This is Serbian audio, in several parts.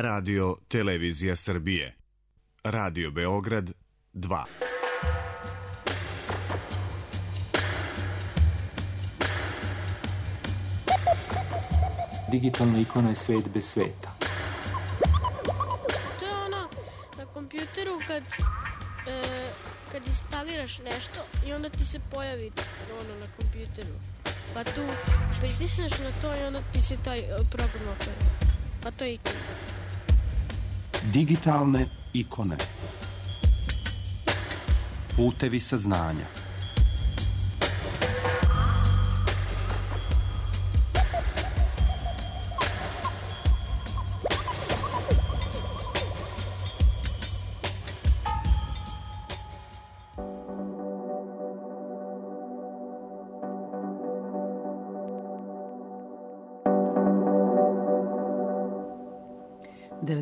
Radio Televizija Srbije. Radio Beograd 2. Digitalna ikona je svet bez sveta. To je ono na kompjuteru kad instaliraš nešto i onda ti se pojavi ono na kompjuteru. Pa tu pritisneš na to i onda ti se taj program otvori. Pa to je ikona. Digitalne ikone. Putevi saznanja.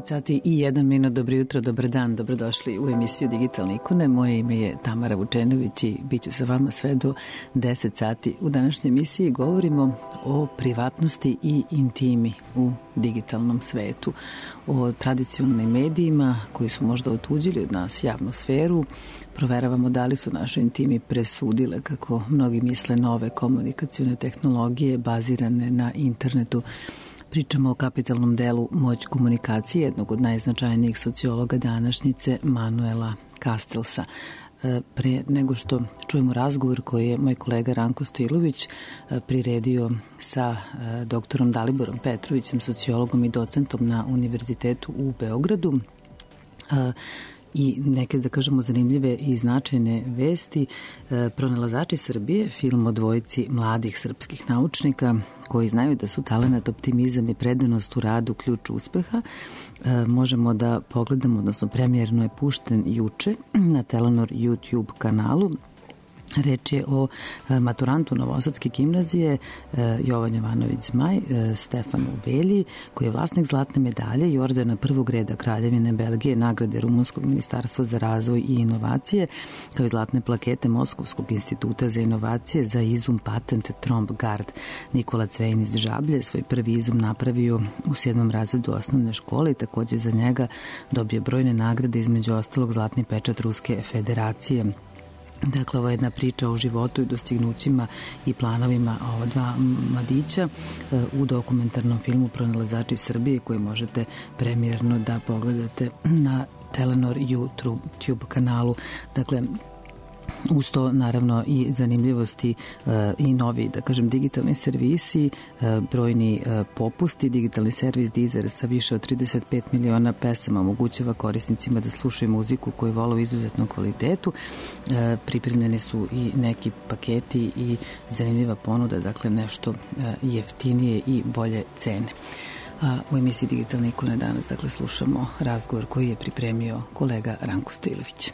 Sati i 1 minut, dobro jutro, dobar dan, dobrodošli u emisiju Digitalne ikone. Moje ime je Tamara Vučenović i bit ću sa vama sve do 10 sati. U današnjoj emisiji govorimo o privatnosti i intimi u digitalnom svetu, o tradicionalnim medijima koji su možda otuđili od nas javnu sferu. Proveravamo da li su naše intimi presudile, kako mnogi misle, nove komunikacione tehnologije bazirane na internetu. Pričamo o kapitalnom delu Moć komunikacije, jednog od najznačajnijih sociologa današnjice, Manuela Castellsa. Pre nego što čujemo razgovor koji je moj kolega Ranko Stilović priredio sa doktorom Daliborom Petrovićem, sociologom i docentom na Univerzitetu u Beogradu, i neke, da kažemo, zanimljive i značajne vesti. Pronalazači Srbije, film o dvojici mladih srpskih naučnika koji znaju da su talenat, optimizam i predanost u radu ključ uspeha, možemo da pogledamo, odnosno premijerno je pušten juče na Telenor YouTube kanalu. Reč je o maturantu Novosadske gimnazije Jovan Jovanović Zmaj, Stefanu Velji, koji je vlasnik zlatne medalje i ordena prvog reda Kraljevine Belgije, nagrade Rumunskog ministarstva za razvoj i inovacije, kao i zlatne plakete Moskovskog instituta za inovacije za izum patent Tromb Gard. Nikola Cvejn iz Žablje svoj prvi izum napravio u 7. razredu osnovne škole i takođe za njega dobio brojne nagrade, između ostalog zlatni pečat Ruske federacije. Dakle, ovo je jedna priča o životu i dostignućima i planovima ova dva mladića u dokumentarnom filmu Pronalazači Srbije, koji možete premijerno da pogledate na Telenor YouTube kanalu. Dakle, uz to naravno i zanimljivosti i novi, da kažem, digitalni servisi, brojni popusti. Digitalni servis Deezer sa više od 35 miliona pesama omogućava korisnicima da slušaju muziku koju vole u izuzetnom kvalitetu. Pripremljeni su i neki paketi i zanimljiva ponuda, dakle nešto jeftinije i bolje cene. U emisiji Digitalne ikone danas, dakle, slušamo razgovor koji je pripremio kolega Ranko Stilović.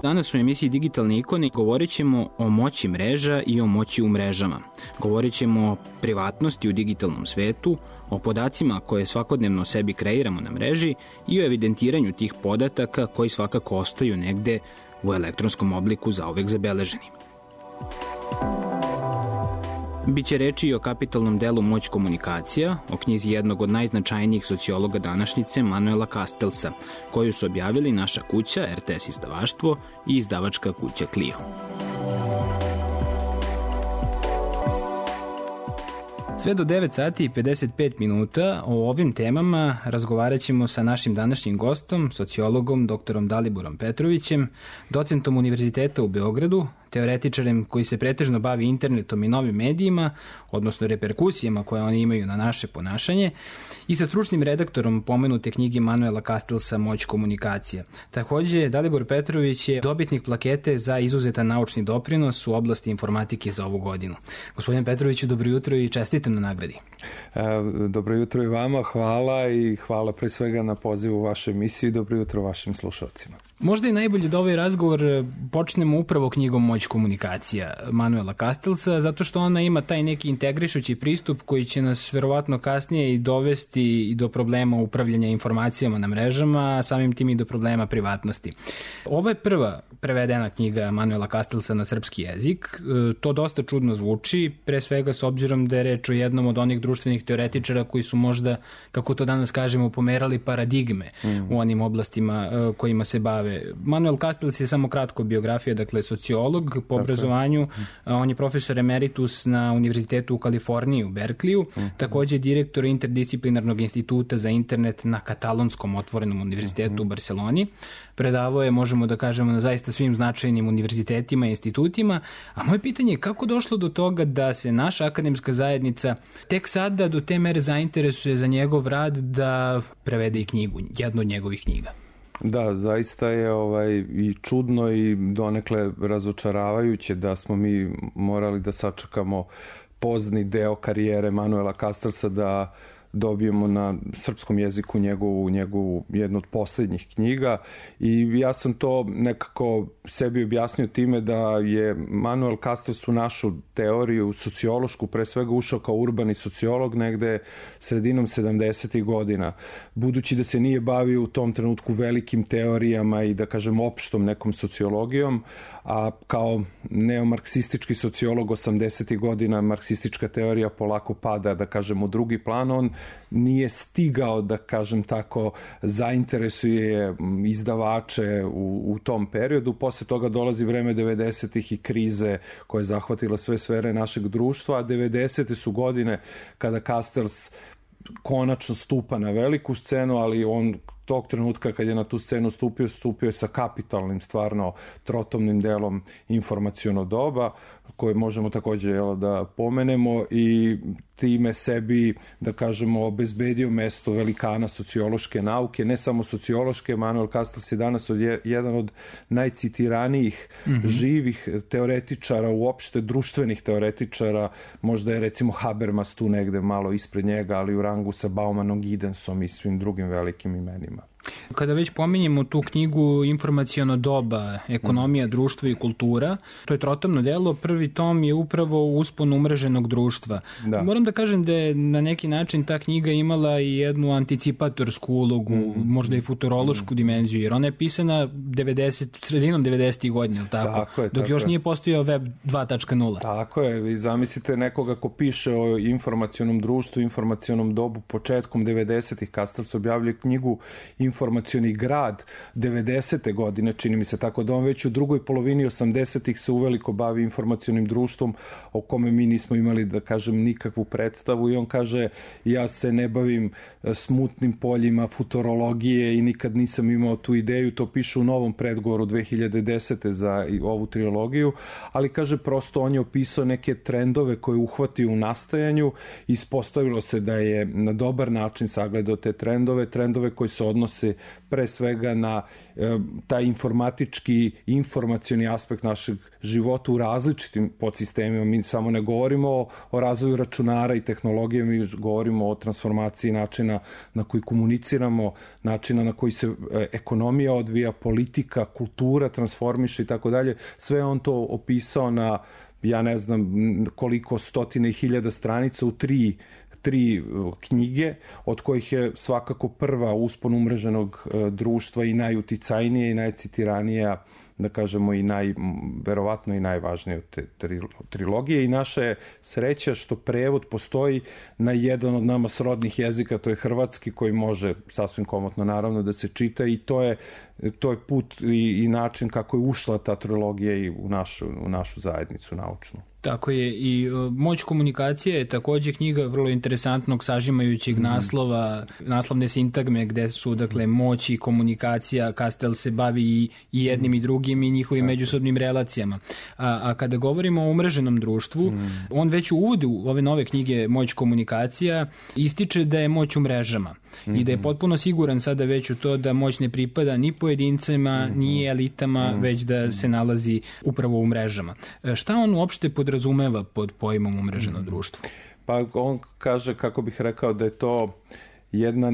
Danas u emisiji Digitalne ikone govorit ćemo o moći mreža i o moći u mrežama. Govorit ćemo o privatnosti u digitalnom svetu, o podacima koje svakodnevno sebi kreiramo na mreži i o evidentiranju tih podataka koji svakako ostaju negde u elektronskom obliku zauvek zabeleženi. Biće reči i o kapitalnom delu Moć komunikacija, o knjizi jednog od najznačajnijih sociologa današnjice, Manuela Castellsa, koju su objavili naša kuća, RTS izdavaštvo i izdavačka kuća Clio. Sve do 9 sati i 55 minuta o ovim temama razgovarat ćemo sa našim današnjim gostom, sociologom doktorom Daliborom Petrovićem, docentom Univerziteta u Beogradu, teoretičarem koji se pretežno bavi internetom i novim medijima, odnosno reperkusijama koje oni imaju na naše ponašanje, i sa stručnim redaktorom pomenute knjige Manuela Castellsa Moć komunikacija. Takođe, Dalibor Petrović je dobitnik plakete za izuzetan naučni doprinos u oblasti informatike za ovu godinu. Gospodine Petroviću, dobro jutro i čestitam na nagradi. Dobro jutro i vama, hvala i hvala pre svega na pozivu u vašu emisiju i dobro jutro vašim slušalcima. Možda je najbolje da ovaj razgovor počnemo upravo knjigom Moć komunikacija Manuela Castellsa, zato što ona ima taj neki integrišući pristup koji će nas verovatno kasnije i dovesti i do problema upravljanja informacijama na mrežama, a samim tim i do problema privatnosti. Ovo je prva prevedena knjiga Manuela Castellsa na srpski jezik. To dosta čudno zvuči, pre svega s obzirom da je reč o jednom od onih društvenih teoretičara koji su možda, kako to danas kažemo, pomerali paradigme u onim oblastima kojima se bave. Manuel Castells je samo kratko biografija, dakle sociolog po obrazovanju, on je profesor emeritus na Univerzitetu u Kaliforniji u Berkliju, takođe direktor interdisciplinarnog instituta za internet na Katalonskom otvorenom univerzitetu u Barceloni. Predavao je, možemo da kažemo, na zaista svim značajnim univerzitetima i institutima. A moje pitanje je kako došlo do toga da se naša akademska zajednica tek sada do te mere zainteresuje za njegov rad da prevede i knjigu, jednu od njegovih knjiga? Da, zaista je i čudno i donekle razočaravajuće da smo mi morali da sačekamo pozni deo karijere Manuela Castellsa da dobijemo na srpskom jeziku njegovu jednu od poslednjih knjiga i ja sam to nekako sebi objasnio time da je Manuel Castells u našu teoriju sociološku pre svega ušao kao urbani sociolog negde sredinom 70. godina. Budući da se nije bavio u tom trenutku velikim teorijama i da kažem opštom nekom sociologijom, a kao neomarksistički sociolog 80. godina marksistička teorija polako pada, da kažem, u drugi plan, on nije stigao, da kažem tako, zainteresuje izdavače u tom periodu. Posle toga dolazi vreme 90-ih i krize koja je zahvatila sve sfere našeg društva, a 90-te su godine kada Castells konačno stupa na veliku scenu, ali on tog trenutka kad je na tu scenu stupio je sa kapitalnim, stvarno trotomnim delom Informaciono doba, koje možemo takođe da pomenemo i time sebi, da kažemo, obezbedio mesto velikana sociološke nauke, ne samo sociološke. Manuel Castells je danas jedan od najcitiranijih živih teoretičara, uopšte društvenih teoretičara, možda je recimo Habermas tu negde malo ispred njega, ali u rangu sa Baumanom, Giddенsom i svim drugim velikim imenima. Kada već pominjemo tu knjigu Informaciono doba, ekonomija, društvo i kultura, to je trotomno delo, prvi tom je upravo uspon umreženog društva. Da. Moram da kažem da je na neki način ta knjiga imala i jednu anticipatorsku ulogu, možda i futurološku dimenziju, jer ona je pisana sredinom 90. godina, tako? Dok još nije postojao web 2.0. Tako je, vi zamislite nekoga ko piše o informacionom društvu, informacionom dobu, početkom 90-ih, Castells objavljuje knjigu Informacioni grad 90. godine, čini mi se, tako da on već u drugoj polovini 80-ih se uveliko bavi informacionim društvom o kome mi nismo imali, da kažem, nikakvu predstavu i on kaže, ja se ne bavim smutnim poljima futurologije i nikad nisam imao tu ideju, to piše u novom predgovoru 2010. za ovu trilogiju, ali kaže prosto on je opisao neke trendove koje uhvatio u nastajanju i ispostavilo se da je na dobar način sagledao te trendove koji se odnose pre svega na taj informatički, informacioni aspekt našeg života u različitim podsistemima. Mi samo ne govorimo o razvoju računara i tehnologije, mi govorimo o transformaciji načina na koji komuniciramo, načina na koji se ekonomija odvija, politika, kultura transformiše i tako dalje. Sve on to opisao na, ja ne znam koliko stotine i hiljada stranica u tri knjige, od kojih je svakako prva Uspon umreženog društva i najuticajnija i najcitiranija, da kažemo, i verovatno i najvažnije od te trilogije. I naša je sreća što prevod postoji na jedan od nama srodnih jezika, to je hrvatski, koji može sasvim komotno naravno da se čita i to je put i način kako je ušla ta trilogija i u našu zajednicu naučnu. Tako je, i Moć komunikacije je takođe knjiga vrlo interesantnog sažimajućeg naslova, naslovne sintagme gde su, dakle, moć i komunikacija. Castells se bavi i jednim i drugim i njihovim međusobnim relacijama. A kada govorimo o umreženom društvu, on već u uvodu ove nove knjige Moć komunikacija ističe da je moć u mrežama i da je potpuno siguran sada već u to da moć ne pripada ni pojedincima, ni elitama, već da se nalazi upravo u mrežama. Šta on uopšte podrazumeva pod pojmom umreženo društvo? Pa on kaže, kako bih rekao, da je to jedna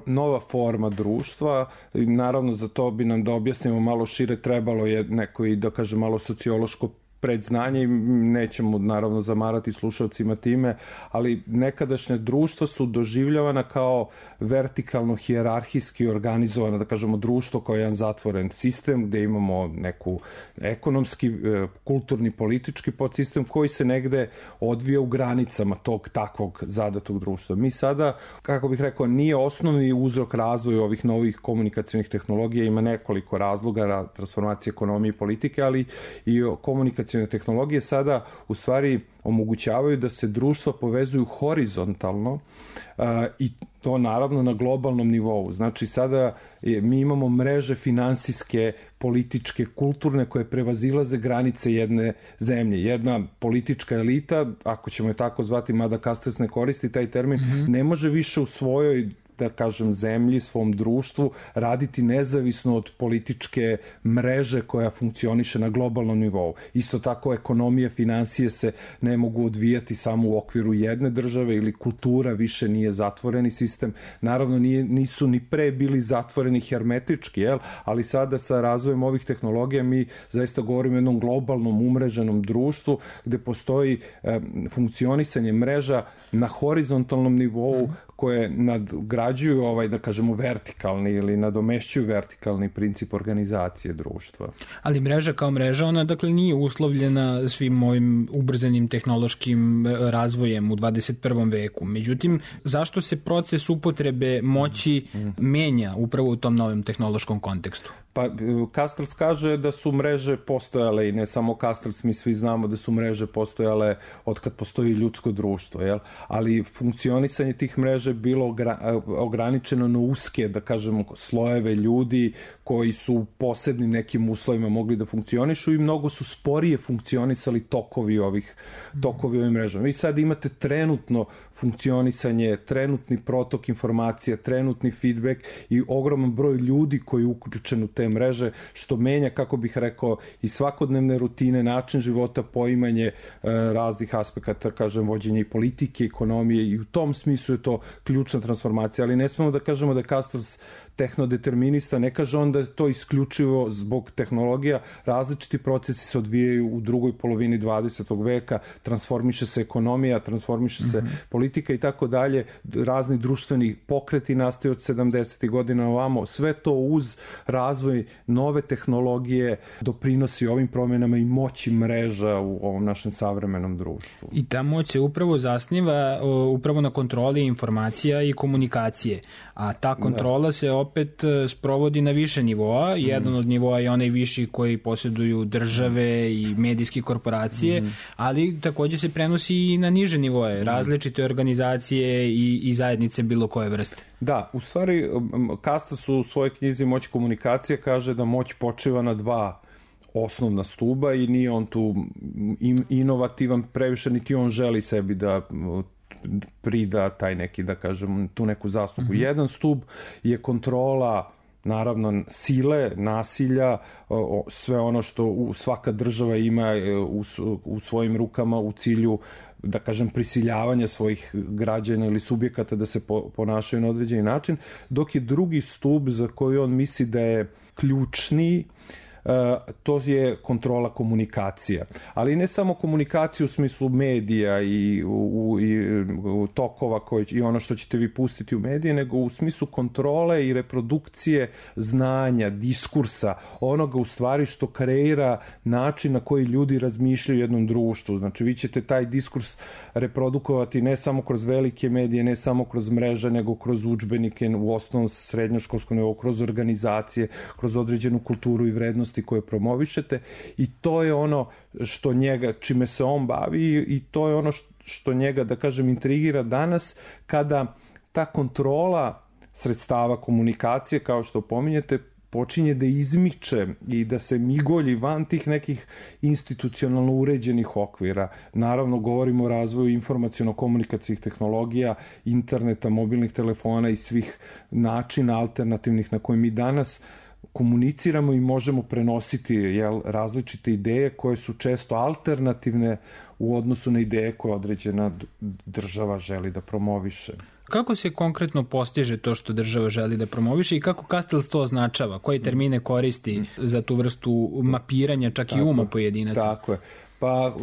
nova forma društva. Naravno, za to bi nam da objasnimo malo šire trebalo je neko i, da kaže, malo sociološko predznanje i nećemo naravno zamarati slušalcima time, ali nekadašnja društva su doživljavana kao vertikalno hijerarhijski organizovana, da kažemo društvo kao jedan zatvoren sistem gde imamo neku ekonomski, kulturni, politički podsistem koji se negde odvija u granicama tog takvog zadatog društva. Mi sada, kako bih rekao, nije osnovni uzrok razvoja ovih novih komunikacionih tehnologija, ima nekoliko razloga, transformacije ekonomije i politike, ali i komunikacione tehnologije sada u stvari omogućavaju da se društva povezuju horizontalno i to naravno na globalnom nivou. Znači sada mi imamo mreže finansijske, političke, kulturne koje prevazilaze granice jedne zemlje. Jedna politička elita, ako ćemo je tako zvati, mada Castells ne koristi taj termin, ne može više u svojoj, da kažem, zemlji, svom društvu raditi nezavisno od političke mreže koja funkcioniše na globalnom nivou. Isto tako ekonomije, finansije se ne mogu odvijati samo u okviru jedne države ili kultura više nije zatvoreni sistem. Naravno nisu ni pre bili zatvoreni hermetički, ali sada sa razvojem ovih tehnologija mi zaista govorimo o jednom globalnom umreženom društvu gde postoji funkcionisanje mreža na horizontalnom nivou koje nadgrađuju da kažemo vertikalni ili nadomešćuju vertikalni princip organizacije društva. Ali mreža kao mreža, ona dakle nije uslovljena svim ovim ubrzanim tehnološkim razvojem u 21. veku. Međutim, zašto se proces upotrebe moći menja upravo u tom novom tehnološkom kontekstu? Pa Castells kaže da su mreže postojale i ne samo Castells, mi svi znamo da su mreže postojale od kad postoji ljudsko društvo, ali funkcionisanje tih mreža je bilo ograničeno na uske, da kažemo, slojeve ljudi koji su u posebnim nekim uslovima mogli da funkcionišu i mnogo su sporije funkcionisali tokovi ovih mreža. Vi sad imate trenutno funkcionisanje, trenutni protok informacija, trenutni feedback i ogroman broj ljudi koji je uključen u te mreže, što menja, kako bih rekao, i svakodnevne rutine, način života, poimanje raznih aspekata, kažem, vođenja i politike, ekonomije, i u tom smislu je to ključna transformacija, ali ne smemo da kažemo da je Castells tehnodeterminista, ne kaže on da je to isključivo zbog tehnologija, različiti procesi se odvijaju u drugoj polovini 20. veka, transformiše se ekonomija, transformiše se politika i tako dalje, razni društveni pokreti nastaju od 70. godina ovamo, sve to uz razvoj nove tehnologije doprinosi ovim promjenama i moći mreža u ovom našem savremenom društvu. I ta moć se upravo zasniva upravo na kontroli informacija i komunikacije, a ta kontrola se opet sprovodi na više nivoa. Jedan od nivoa je onaj viši koji posjeduju države i medijske korporacije, ali također se prenosi i na niže nivoe, različite organizacije i zajednice bilo koje vrste. Da, u stvari Castells u svojoj knjizi Moć komunikacije kaže da moć počiva na dva osnovna stuba i nije on tu inovativan previše, niti on želi sebi da prida taj neki, da kažem, tu neku zaslugu. Jedan stub je kontrola, naravno, sile, nasilja, sve ono što svaka država ima u svojim rukama u cilju, da kažem, prisiljavanja svojih građana ili subjekata da se ponašaju na određeni način, dok je drugi stub za koji on misli da je ključni, to je kontrola komunikacija. Ali ne samo komunikacija u smislu medija i tokova i ono što ćete vi pustiti u medije, nego u smislu kontrole i reprodukcije znanja, diskursa, onoga u stvari što kreira način na koji ljudi razmišljaju u jednom društvu. Znači, vi ćete taj diskurs reprodukovati ne samo kroz velike medije, ne samo kroz mreže, nego kroz udžbenike u osnovnom, srednjoškolskom nivou, kroz organizacije, kroz određenu kulturu i vrednosti koje promovišete, i to je ono što njega, čime se on bavi, i to je ono što njega, da kažem, intrigira danas, kada ta kontrola sredstava komunikacije, kao što pominjete, počinje da izmiče i da se migolji van tih nekih institucionalno uređenih okvira. Naravno, govorimo o razvoju informaciono-komunikacijnih tehnologija, interneta, mobilnih telefona i svih načina alternativnih na koje mi danas komuniciramo i možemo prenositi različite ideje koje su često alternativne u odnosu na ideje koje određena država želi da promoviše. Kako se konkretno postiže to što država želi da promoviše i kako Castells to označava? Koje termine koristi za tu vrstu mapiranja čak i uma pojedinaca? Tako je. Pa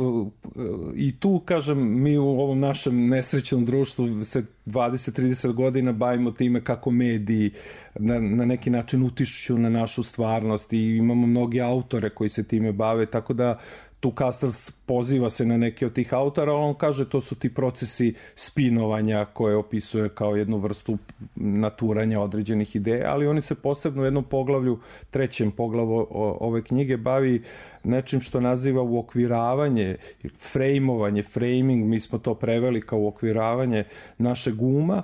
i tu, kažem, mi u ovom našem nesrećnom društvu se 20-30 godina bavimo time kako mediji na neki način utišću na našu stvarnost i imamo mnogi autore koji se time bave, tako da tu Castells poziva se na neke od tih autora, on kaže to su ti procesi spinovanja koje opisuje kao jednu vrstu naturanja određenih ideja, ali oni se posebno u jednom poglavlju, trećem poglavu ove knjige, bavi nečim što naziva uokviravanje, frejmovanje, framing, mi smo to preveli kao uokviravanje našeg uma,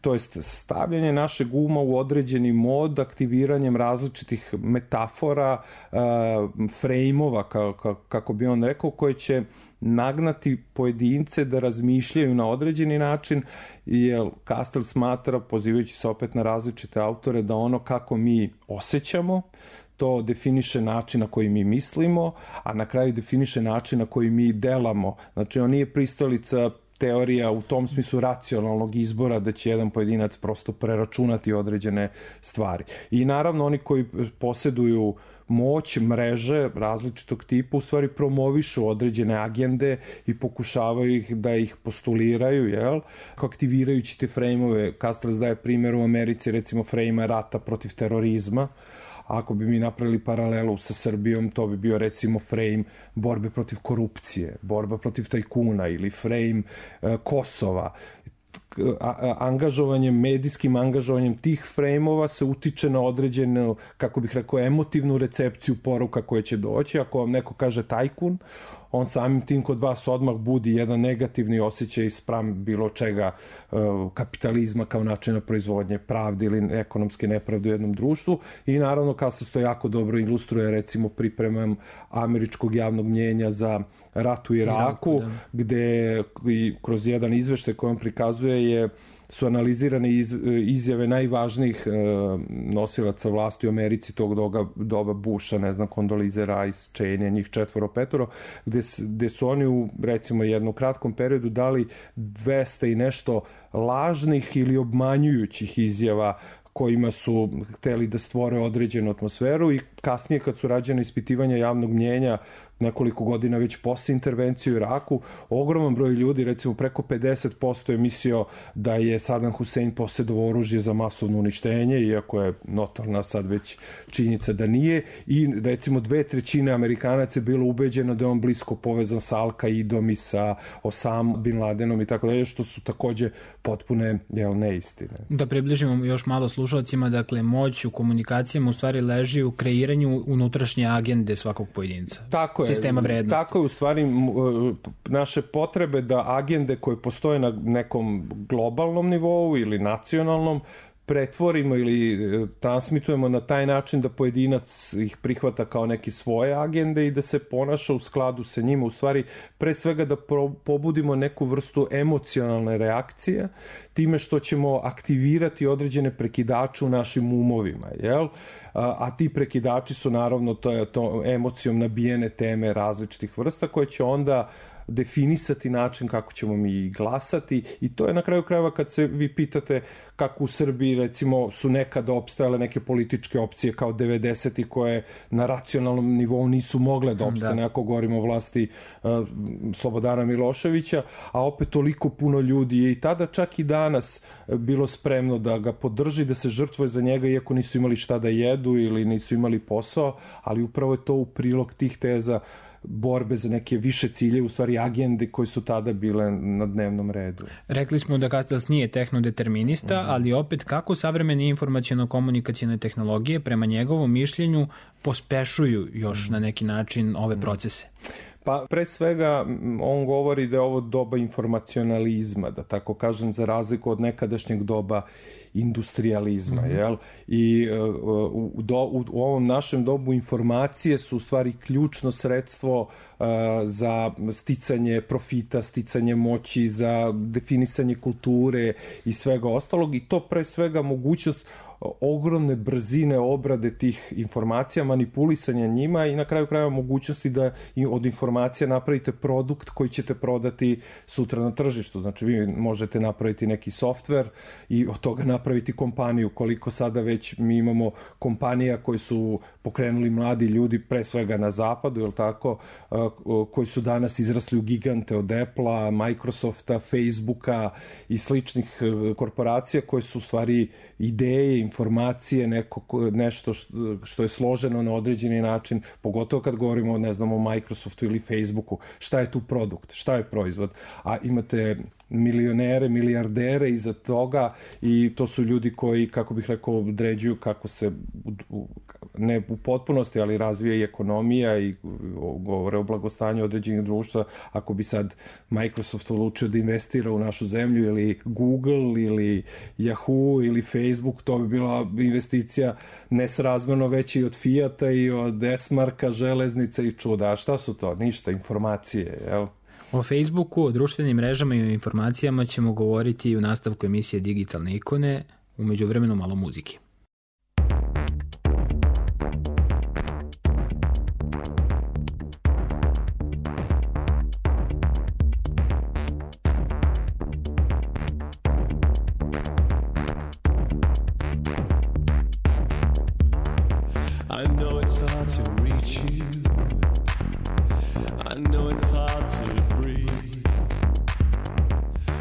to jest stavljanje našeg uma u određeni mod aktiviranjem različitih metafora, frejmova, kako bi on rekao, koje će nagnati pojedince da razmišljaju na određeni način, jer Castells smatra, pozivajući se opet na različite autore, da ono kako mi osjećamo, to definiše način na koji mi mislimo, a na kraju definiše način na koji mi delamo. Znači, on nije pristalica teorija u tom smislu racionalnog izbora da će jedan pojedinac prosto preračunati određene stvari. I naravno oni koji posjeduju moć, mreže različitog tipa u stvari promovišu određene agende i pokušavaju ih da ih postuliraju, jel? Aktivirajući te frejmove. Castells daje primjer u Americi, recimo frejma rata protiv terorizma. Ako bi mi napravili paralelu sa Srbijom, to bi bio recimo frame borbe protiv korupcije, borba protiv tajkuna ili frame Kosova. Angažovanjem, medijskim angažovanjem tih frejmova se utiče na određenu, kako bih rekao, emotivnu recepciju poruka koje će doći. Ako vam neko kaže tajkun, on samim tim kod vas odmah budi jedan negativni osjećaj spram bilo čega, kapitalizma kao načina proizvodnje, pravde ili ekonomske nepravde u jednom društvu. I naravno, Castells to jako dobro ilustruje recimo pripremom američkog javnog mnjenja za rat u Iraku, gde kroz jedan izveštaj koji on prikazuje su analizirane izjave najvažnijih nosilaca vlasti u Americi tog doba Busha, ne znam, Condoleezza Rice, Cheney, njih 4-5, gde su oni u recimo jednom kratkom periodu dali 200 i nešto lažnih ili obmanjujućih izjava kojima su hteli da stvore određenu atmosferu, i kasnije kad su rađene ispitivanja javnog mnjenja nekoliko godina već posle intervencije u Iraku, ogroman broj ljudi, recimo preko 50% je mislio da je Saddam Hussein posjedovao oružje za masovno uništenje, iako je notorna sad već činjenica da nije, i recimo 2/3 Amerikanaca je bilo ubeđeno da je on blisko povezan sa Al-Qaidom i sa Osama Bin Ladenom i tako dalje, što su takođe potpune neistine. Da približimo još malo slušalcima, dakle, moć u komunikacijama u stvari leži u kreiranju unutrašnje agende svakog pojedinca. Tako je, sistema vrednosti. Tako je, u stvari naše potrebe da agende koje postoje na nekom globalnom nivou ili nacionalnom pretvorimo ili transmitujemo na taj način da pojedinac ih prihvata kao neke svoje agende i da se ponaša u skladu sa njima. U stvari, pre svega da pobudimo neku vrstu emocionalne reakcije time što ćemo aktivirati određene prekidače u našim umovima, jel? A ti prekidači su naravno to emocijom nabijene teme različitih vrsta koje će onda definisati način kako ćemo mi glasati, i to je na kraju krajeva kad se vi pitate kako u Srbiji recimo su nekada opstajale neke političke opcije kao 90-ih koje na racionalnom nivou nisu mogle da opstane, ako govorimo o vlasti Slobodana Miloševića, a opet toliko puno ljudi je i tada čak i danas bilo spremno da ga podrži, da se žrtvuje za njega iako nisu imali šta da jedu ili nisu imali posao, ali upravo je to u prilog tih teza borbe za neke više cilje, u stvari agende koje su tada bile na dnevnom redu. Rekli smo da Castells nije tehnodeterminista, ali opet kako savremene informaciono-komunikacijne tehnologije prema njegovom mišljenju pospešuju još na neki način ove procese? Pa pre svega on govori da je ovo doba informacionalizma, da tako kažem, za razliku od nekadašnjeg doba industrializma, jel? I u ovom našem dobu informacije su u stvari ključno sredstvo za sticanje profita, sticanje moći, za definisanje kulture i svega ostalog, i to pre svega mogućnost ogromne brzine obrade tih informacija, manipulisanja njima i na kraju krajeva mogućnosti da od informacija napravite produkt koji ćete prodati sutra na tržištu. Znači vi možete napraviti neki softver i od toga napraviti kompaniju. Koliko sada već mi imamo kompanija koji su pokrenuli mladi ljudi, pre svega na zapadu, je li tako, koji su danas izrasli u gigante od Apple-a, Microsofta, Facebooka i sličnih korporacija koje su u stvari ideje, informacije, nešto što je složeno na određeni način, pogotovo kad govorimo, ne znam, o Microsoftu ili Facebooku. Šta je tu produkt? Šta je proizvod? A imate milionere, milijardere iza toga i to su ljudi koji, kako bih rekao, određuju kako se, ne u potpunosti, ali razvija i ekonomija i govore o blagostanju određenih društva. Ako bi sad Microsoft odlučio da investira u našu zemlju ili Google ili Yahoo ili Facebook, to bi bila investicija nesrazmerno veća i od Fijata i od S-marka, železnica i čuda. A šta su to? Ništa, informacije, jel? O Facebooku, o društvenim mrežama i o informacijama ćemo govoriti i u nastavku emisije Digitalne ikone, u međuvremenu malo muzike. I know it's hard to reach you. I know it's hard to breathe.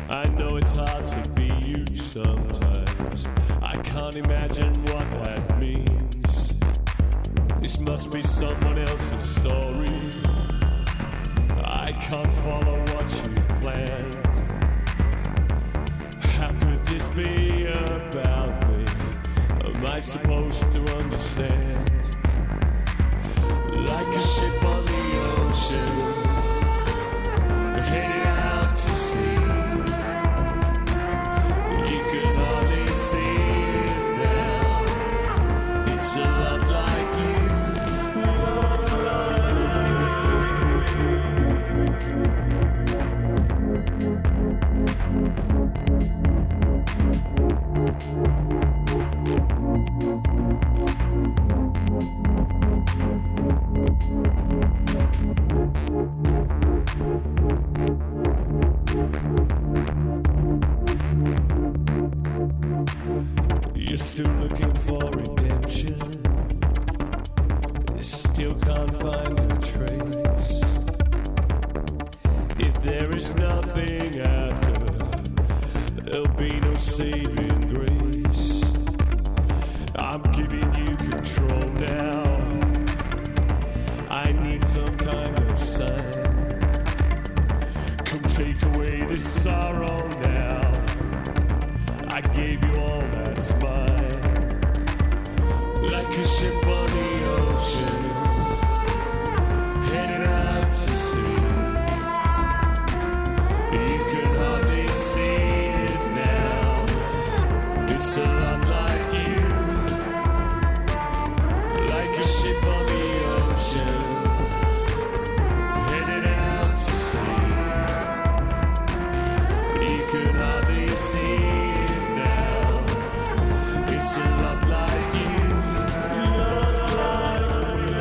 I know it's hard to be you sometimes. I can't imagine what that means. This must be someone else's story. I can't follow what you've planned. How could this be about me? Am I supposed to understand? Like a ship on the ocean, heading out to sea. You can hardly see it now. It's a lot like you, lost like you're still looking for redemption. You still can't find a trace. If there is nothing after, there'll be no saving grace. I'm giving you control now. I need some kind of sign. Come take away this sorrow now. I gave you all that's mine. Like a ship on the ocean, headed out to sea. You can hardly see it now. It's a lot like you. Like a ship on the ocean, headed out to sea. You can hardly see it now. It's a lot like you, lost like me.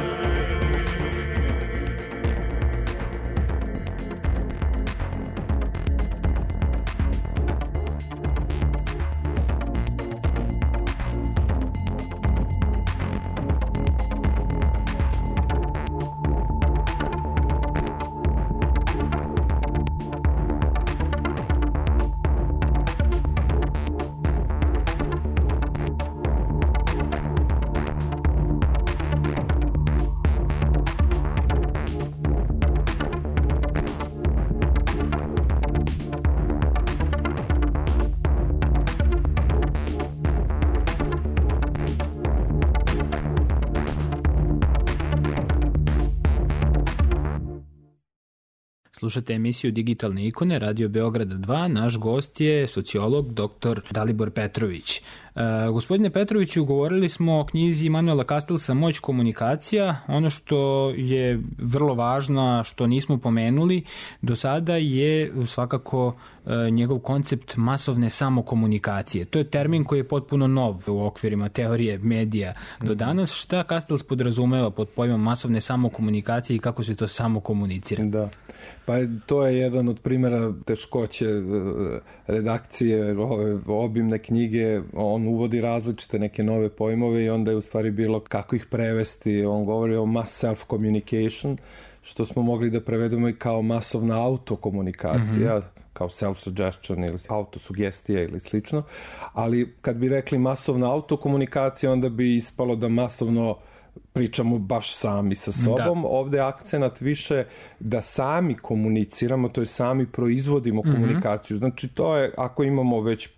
Slušate emisiju Digitalne ikone, Radio Beograd 2. Naš gost je sociolog dr. Dalibor Petrović. Gospodine Petroviću, govorili smo o knjizi Manuela Castellsa Moć komunikacija. Ono što je vrlo važno, što nismo pomenuli do sada, je svakako njegov koncept masovne samokomunikacije. To je termin koji je potpuno nov u okvirima teorije medija do danas. Šta Castells podrazumeva pod pojmom masovne samokomunikacije i kako se to samo komunicira? Da, pa to je jedan od primjera teškoće redakcije ove obimne knjige. On uvodi različite neke nove pojmove i onda je u stvari bilo kako ih prevesti. On govori o mass self-communication, što smo mogli da prevedemo i kao masovna autokomunikacija, kao self-suggestion ili autosugestija ili slično. Ali kad bi rekli masovna autokomunikacija, onda bi ispalo da masovno pričamo baš sami sa sobom. Da. Ovde je akcenat više da sami komuniciramo, to je sami proizvodimo komunikaciju. Znači to je, ako imamo već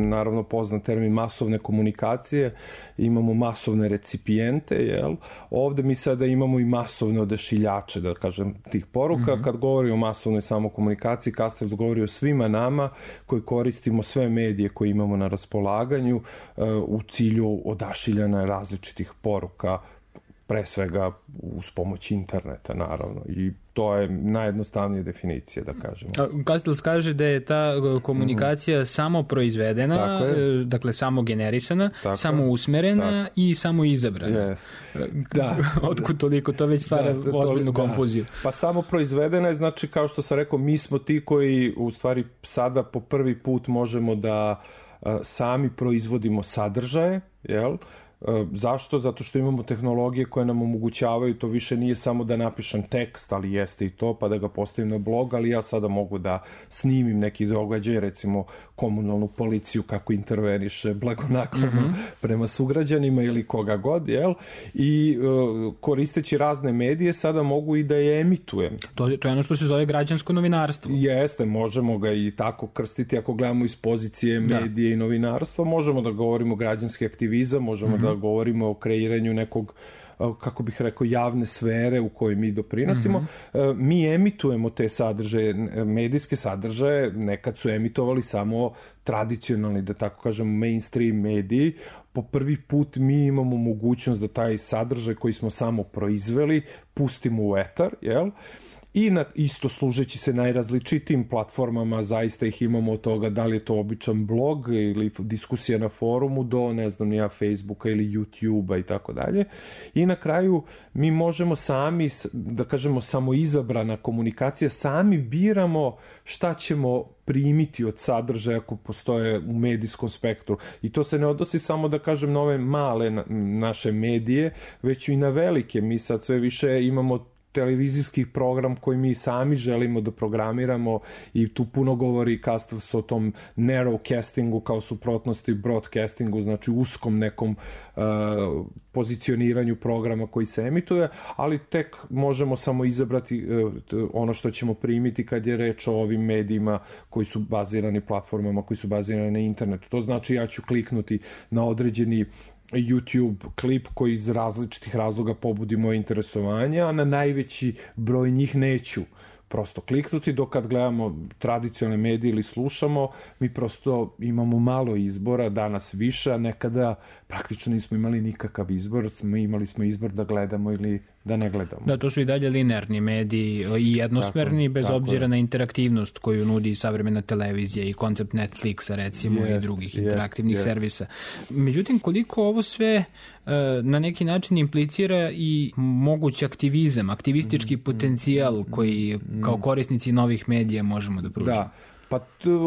naravno poznat termin masovne komunikacije, imamo masovne recipijente, jel? Ovde mi sada imamo i masovne odašiljače, da kažem, tih poruka. Kad govori o masovnoj samokomunikaciji, Castells govori o svima nama koji koristimo sve medije koje imamo na raspolaganju u cilju odašiljanja različitih poruka, pre svega uz pomoć interneta, naravno. I to je najjednostavnija definicija, da kažemo. Castells kaže da je ta komunikacija samo proizvedena, dakle samo generisana, samo usmerena i samo izabrana. Yes. Da. Otkud toliko? To već stvara ozbiljnu konfuziju. Pa samo proizvedena je, znači, kao što sam rekao, mi smo ti koji u stvari sada po prvi put možemo da sami proizvodimo sadržaje, jel? Zašto? Zato što imamo tehnologije koje nam omogućavaju, to više nije samo da napišem tekst, ali jeste i to, pa da ga postavim na blog, ali ja sada mogu da snimim neki događaj, recimo komunalnu policiju kako interveniše blagonaklono prema sugrađanima ili koga god, jel? I koristeći razne medije sada mogu i da je emitujem. To je ono što se zove građansko novinarstvo. Jeste, možemo ga i tako krstiti ako gledamo iz pozicije medije i novinarstva, možemo da govorimo građanski aktivizam, možemo da govorimo o kreiranju nekog, kako bih rekao, javne sfere u kojoj mi doprinosimo. Mi emitujemo te sadržaje, medijske sadržaje, nekad su emitovali samo tradicionalni, da tako kažem, mainstream mediji. Po prvi put mi imamo mogućnost da taj sadržaj koji smo samo proizveli pustimo u etar, jel? I isto služeći se najrazličitijim platformama, zaista ih imamo od toga da li je to običan blog ili diskusija na forumu do, ne znam, nija Facebooka ili YouTubea i tako dalje. I na kraju mi možemo sami, da kažemo, samoizabrana komunikacija, sami biramo šta ćemo primiti od sadržaja ako postoje u medijskom spektru. I to se ne odnosi samo, da kažem, na ove male naše medije, već i na velike. Mi sad sve više imamo televizijski program koji mi sami želimo da programiramo i tu puno govori Castells o tom narrowcastingu kao suprotnosti broadcastingu, znači uskom nekom pozicioniranju programa koji se emituje, ali tek možemo samo izabrati ono što ćemo primiti kad je reč o ovim medijima koji su bazirani, platformama koji su bazirani na internetu. To znači ja ću kliknuti na određeni YouTube klip koji iz različitih razloga pobudi moje interesovanje, a na najveći broj njih neću prosto kliknuti, dok kad gledamo tradicionalne medije ili slušamo, mi prosto imamo malo izbora, danas više, a nekada praktično nismo imali nikakav izbor, imali smo izbor da gledamo ili da ne gledamo. Da, to su i dalje linearni mediji i jednosmerni, bez obzira na interaktivnost koju nudi savremena televizija i koncept Netflixa, recimo, i drugih interaktivnih servisa. Međutim, koliko ovo sve na neki način implicira i mogući aktivizam, aktivistički potencijal koji kao korisnici novih medija možemo da pružimo? Da, pa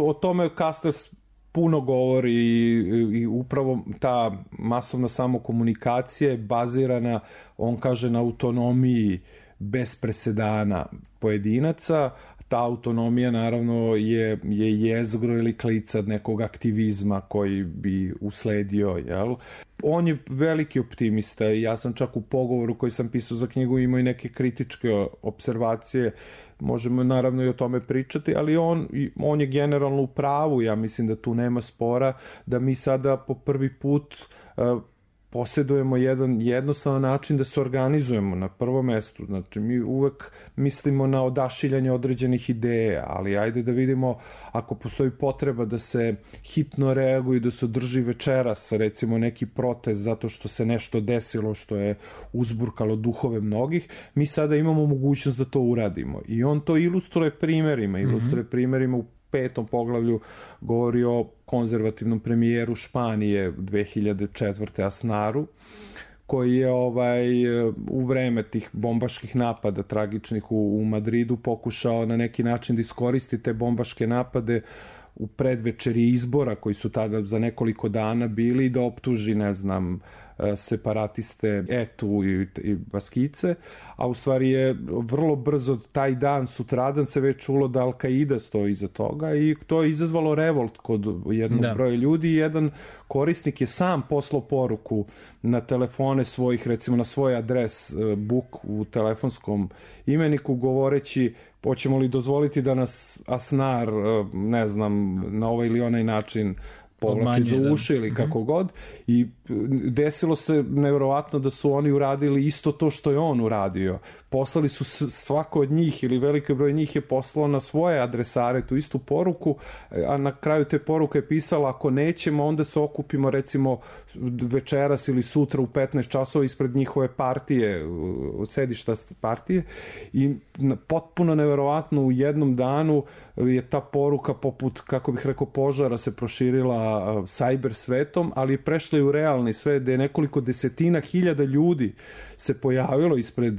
o tome Castells puno govori i upravo ta masovna samokomunikacija je bazirana, on kaže, na autonomiji bez presedana pojedinaca. Ta autonomija naravno je jezgro ili klica nekog aktivizma koji bi usledio, jel? On je veliki optimista i ja sam čak u pogovoru koji sam pisao za knjigu imao i neke kritičke observacije. Možemo naravno i o tome pričati, ali on je generalno u pravu. Ja mislim da tu nema spora, da mi sada po prvi put posjedujemo jedan jednostavan način da se organizujemo na prvom mestu. Znači, mi uvek mislimo na odašiljanje određenih ideja, ali ajde da vidimo ako postoji potreba da se hitno reaguje, da se održi večeras, recimo neki protest zato što se nešto desilo što je uzburkalo duhove mnogih, mi sada imamo mogućnost da to uradimo. I on to ilustruje primjerima, u 5. poglavlju govori o konzervativnom premijeru Španije 2004. Asnaru, koji je u vreme tih bombaških napada tragičnih u Madridu pokušao na neki način da iskoristi te bombaške napade u predvečeri izbora koji su tada za nekoliko dana bili i da optuži, separatiste Etu i Baskice, a u stvari je vrlo brzo taj dan, sutradan se već čulo da Al-Qaida stoji iza toga i to je izazvalo revolt kod jednog broja ljudi. Jedan korisnik je sam poslao poruku na telefone svojih, recimo na svoj adres book u telefonskom imeniku, govoreći hoćemo li dozvoliti da nas Asnar, na ovaj ili onaj način povlači za uši ili kako god. I desilo se nevjerovatno da su oni uradili isto to što je on uradio. Poslali su svako od njih ili veliki broj njih je poslao na svoje adresare tu istu poruku, a na kraju te poruke je pisala ako nećemo onda se okupimo recimo večeras ili sutra u 15 časova ispred njihove partije, sedišta partije, i potpuno nevjerovatno u jednom danu je ta poruka poput, kako bih rekao, požara se proširila cyber svetom, ali je prešla i u realni svet gde je nekoliko desetina hiljada ljudi se pojavilo ispred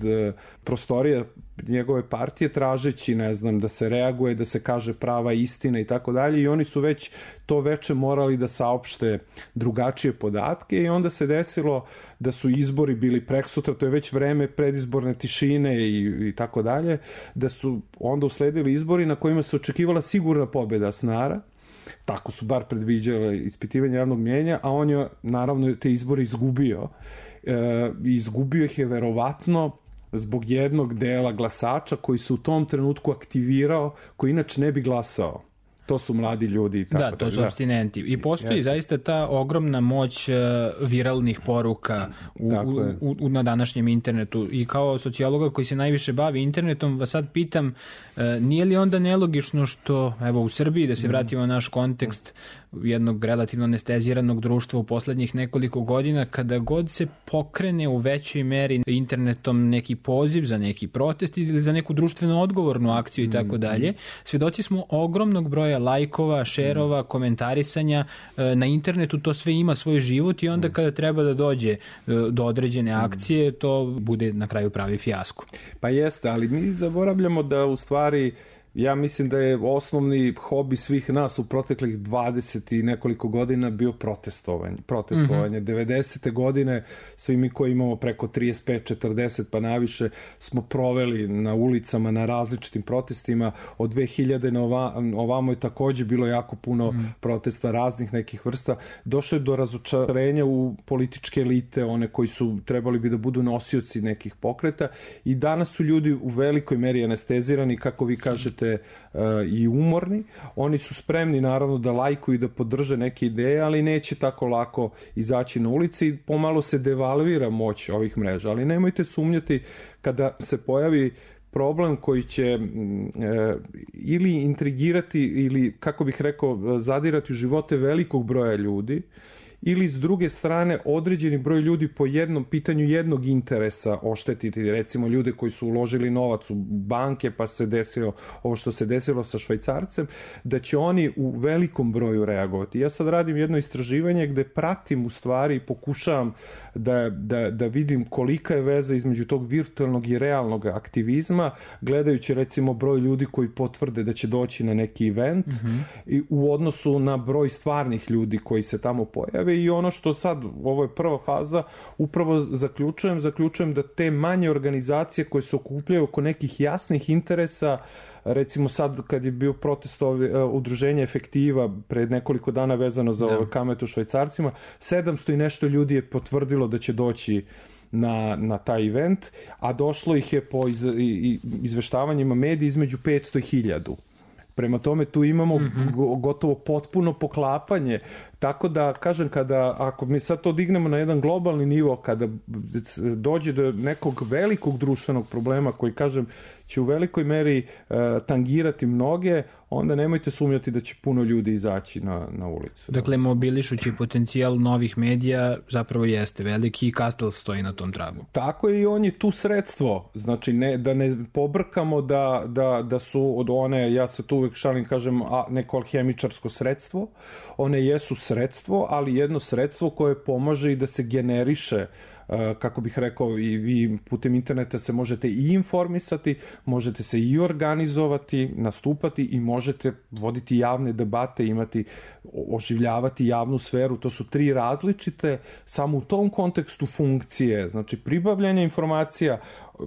prostorija njegove partije tražeći, da se reaguje, da se kaže prava istina i tako dalje, i oni su već to veče morali da saopšte drugačije podatke i onda se desilo da su izbori bili preksutra, to je već vreme predizborne tišine i tako dalje, da su onda usledili izbori na kojima se očekivala sigurna pobjeda Asnara. Tako su bar predviđale ispitivanje javnog mnjenja, a on je naravno te izbore izgubio. Izgubio ih je verovatno zbog jednog dela glasača koji se u tom trenutku aktivirao, koji inače ne bi glasao. To su mladi ljudi. Da, to su apstinenti. I postoji zaista ta ogromna moć viralnih poruka na današnjem internetu. I kao sociologa koji se najviše bavi internetom, vas sad pitam, nije li onda nelogično što, evo u Srbiji, da se vratimo na naš kontekst jednog relativno anesteziranog društva u poslednjih nekoliko godina, kada god se pokrene u većoj meri internetom neki poziv za neki protest ili za neku društveno odgovornu akciju i tako dalje, svedoci smo ogromnog broja lajkova, šerova, komentarisanja na internetu, to sve ima svoj život i onda kada treba da dođe do određene akcije, to bude na kraju pravi fijasko. Pa jeste, ali mi zaboravljamo da u stvari ja mislim da je osnovni hobi svih nas u proteklih 20 i nekoliko godina bio protestovanje. 90. godine svi mi koji imamo preko 35-40 pa naviše smo proveli na ulicama na različitim protestima. Od 2000 na ovamo je također bilo jako puno protesta raznih nekih vrsta. Došlo je do razočarenja u političke elite, one koji su trebali bi da budu nosioci nekih pokreta, i danas su ljudi u velikoj meri anestezirani, kako vi kažete, i umorni. Oni su spremni naravno da lajkuju i da podrže neke ideje, ali neće tako lako izaći na ulici i pomalo se devalvira moć ovih mreža. Ali nemojte sumnjati kada se pojavi problem koji će ili intrigirati ili, kako bih rekao, zadirati u živote velikog broja ljudi, ili s druge strane određeni broj ljudi po jednom pitanju jednog interesa oštetiti, recimo ljude koji su uložili novac u banke pa se desilo ovo što se desilo sa Švajcarcem, da će oni u velikom broju reagovati. Ja sad radim jedno istraživanje gde pratim u stvari i pokušavam da vidim kolika je veza između tog virtualnog i realnog aktivizma, gledajući recimo broj ljudi koji potvrde da će doći na neki event i u odnosu na broj stvarnih ljudi koji se tamo pojave. I ono što sad, ovo je prva faza, upravo zaključujem da te manje organizacije koje se okupljaju oko nekih jasnih interesa, recimo sad kad je bio protest udruženja Efektiva pred nekoliko dana vezano za kametu Švajcarcima, 700 i nešto ljudi je potvrdilo da će doći na taj event, a došlo ih je po izveštavanjima medija između 500 i 1000. Prema tome tu imamo gotovo potpuno poklapanje Tako da, kažem, ako mi sad to dignemo na jedan globalni nivo, kada dođe do nekog velikog društvenog problema koji, kažem, će u velikoj meri tangirati mnoge, onda nemojte sumnjati da će puno ljudi izaći na ulicu. Dakle, mobilišući potencijal novih medija zapravo jeste veliki i Kastel stoji na tom tragu. Tako je, i on je tu sredstvo. Znači, da ne pobrkamo da su od one, ja se tu uvek šalim, kažem, neko alhemičarsko sredstvo. One jesu sredstvo, ali jedno sredstvo koje pomaže i da se generiše, kako bih rekao, i vi putem interneta se možete i informisati, možete se i organizovati, nastupati i možete voditi javne debate, oživljavati javnu sferu. To su 3 različite, samo u tom kontekstu funkcije, znači pribavljanja informacija,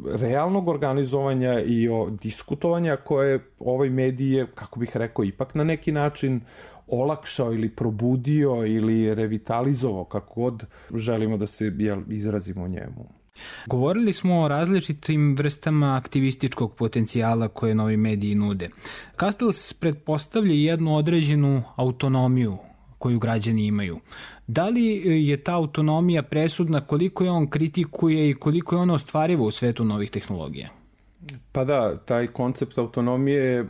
realnog organizovanja i diskutovanja koje ovaj medij je, kako bih rekao, ipak na neki način olakšao ili probudio ili revitalizovao, kako god želimo da se izrazimo o njemu. Govorili smo o različitim vrstama aktivističkog potencijala koje novi mediji nude. Castells pretpostavlja jednu određenu autonomiju koju građani imaju. Da li je ta autonomija presudna, koliko je on kritikuje i koliko je ona ostvariva u svetu novih tehnologija? Pa da, taj koncept autonomije,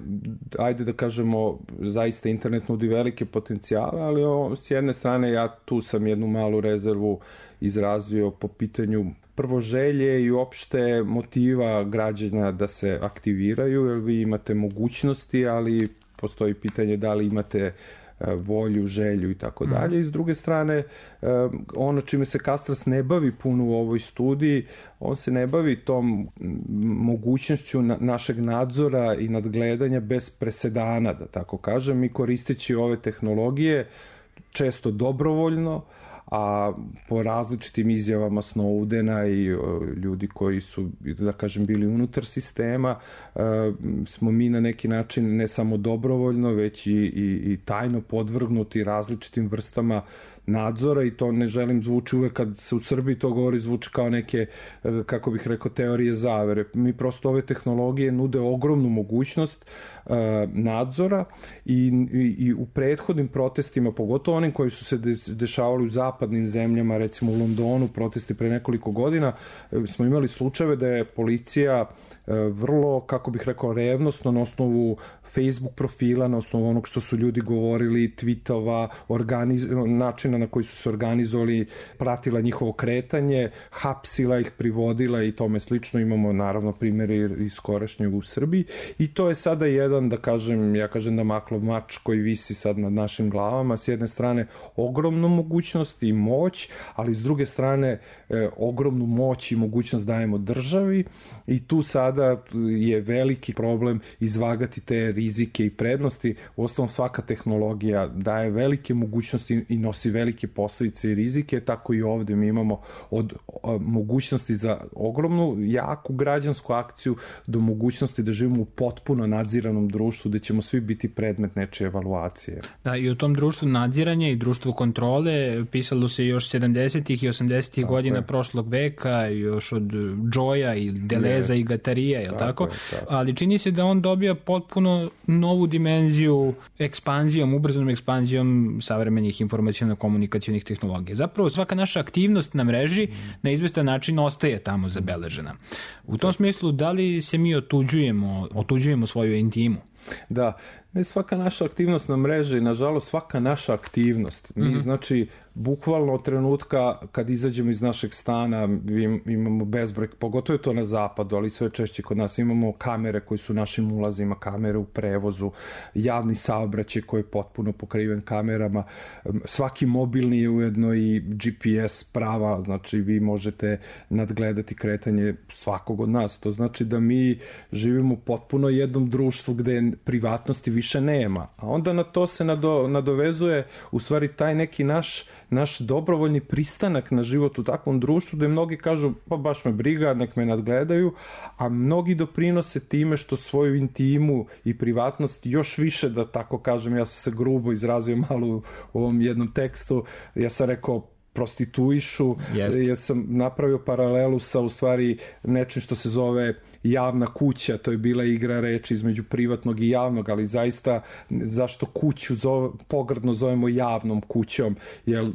ajde da kažemo, zaista internet nudi velike potencijale, ali s jedne strane ja tu sam jednu malu rezervu izrazio po pitanju prvo želje i uopšte motiva građana da se aktiviraju, jer vi imate mogućnosti, ali postoji pitanje da li imate volju, želju i tako dalje. I s druge strane, ono čime se Castells ne bavi puno u ovoj studiji, on se ne bavi tom mogućnošću našeg nadzora i nadgledanja bez presedana, da tako kažem, mi koristeći ove tehnologije često dobrovoljno, a po različitim izjavama Snowdena i ljudi koji su, da kažem, bili unutar sistema, smo mi na neki način ne samo dobrovoljno, već i tajno podvrgnuti različitim vrstama nadzora, i to ne želim zvuči uvek kad se u Srbiji to govori, zvuči kao neke, kako bih rekao, teorije zavere. Mi prosto ove tehnologije nude ogromnu mogućnost nadzora i u prethodnim protestima, pogotovo onim koji su se dešavali u zapadnim zemljama, recimo u Londonu, protesti pre nekoliko godina, smo imali slučajeve da je policija vrlo, kako bih rekao, revnosno na osnovu Facebook profila, na osnovu onog što su ljudi govorili, tweetova, načina na koji su se organizovali, pratila njihovo kretanje, hapsila ih, privodila i tome slično. Imamo naravno primjere iz skorašnjeg u Srbiji, i to je sada jedan, da kažem, ja kažem da maklov mač koji visi sad nad našim glavama. S jedne strane ogromnu mogućnost i moć, ali s druge strane ogromnu moć i mogućnost dajemo državi, i tu sada je veliki problem izvagati te rizike i prednosti. Uostalom, svaka tehnologija daje velike mogućnosti i nosi velike posledice i rizike, tako i ovde mi imamo od mogućnosti za ogromnu, jaku građansku akciju do mogućnosti da živimo u potpuno nadziranom društvu gde ćemo svi biti predmet nečije evaluacije. Da, i u tom društvu nadziranja i društvu kontrole pisalo se još 70. i 80. godina prošlog veka, još od Joya i Deleza i Gatarija, je li tako? Ali čini se da on dobija potpuno novu dimenziju ekspanzijom, ubrzanom ekspanzijom savremenih informaciono-komunikacionih tehnologija. Zapravo svaka naša aktivnost na mreži na izvestan način ostaje tamo zabeležena. U tom smislu, da li se mi otuđujemo svoju intimu? Da, ne svaka naša aktivnost na mreži, nažalost svaka naša aktivnost. Mi, znači, bukvalno od trenutka kad izađemo iz našeg stana imamo bezbroj, pogotovo je to na zapadu, ali sve češće kod nas imamo kamere koji su našim ulazima, kamere u prevozu, javni saobraćaj koji je potpuno pokriven kamerama, svaki mobilni je ujedno i GPS prava, znači vi možete nadgledati kretanje svakog od nas. To znači da mi živimo potpuno jednom društvu gde privatnosti više nema. A onda na to se nadovezuje u stvari taj neki naš dobrovoljni pristanak na život u takvom društvu, gde mnogi kažu, pa baš me briga, nek me nadgledaju, a mnogi doprinose time što svoju intimu i privatnost još više, da tako kažem, ja sam se grubo izrazio malo u ovom jednom tekstu, ja sam rekao prostituišu, ja sam napravio paralelu sa u stvari nečim što se zove javna kuća, to je bila igra reči između privatnog i javnog, ali zaista zašto kuću pogrdno zovemo javnom kućom, jer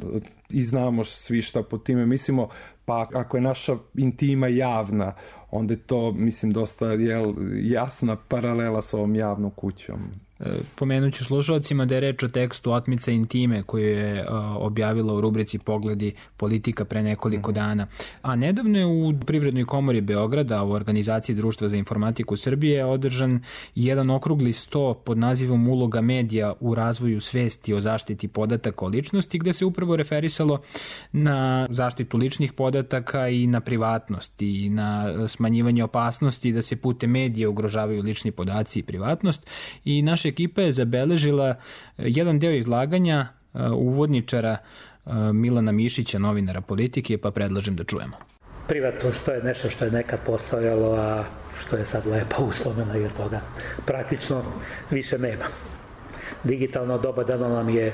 i znamo svi šta po time mislimo, pa ako je naša intima javna, onda je to, mislim, dosta jasna paralela sa ovom javnom kućom. Pomenut ću slušalcima da je reč o tekstu Otmica intime koju je objavila u rubrici Pogledi politika pre nekoliko dana. A nedavno je u Privrednoj komori Beograda u organizaciji Društva za informatiku Srbije održan jedan okrugli sto pod nazivom Uloga medija u razvoju svesti o zaštiti podataka o ličnosti, gde se upravo referisalo na zaštitu ličnih podataka i na privatnost i na smanjivanje opasnosti da se putem medija ugrožavaju lični podaci i privatnost. I naša ekipa je zabeležila jedan deo izlaganja uvodničara Milana Mišića, novinara Politike, pa predlažem da čujemo. Privatnost, to je nešto što je nekad postojalo, a što je sad lepo uslomeno, jer toga praktično više nema. Digitalno doba dano nam je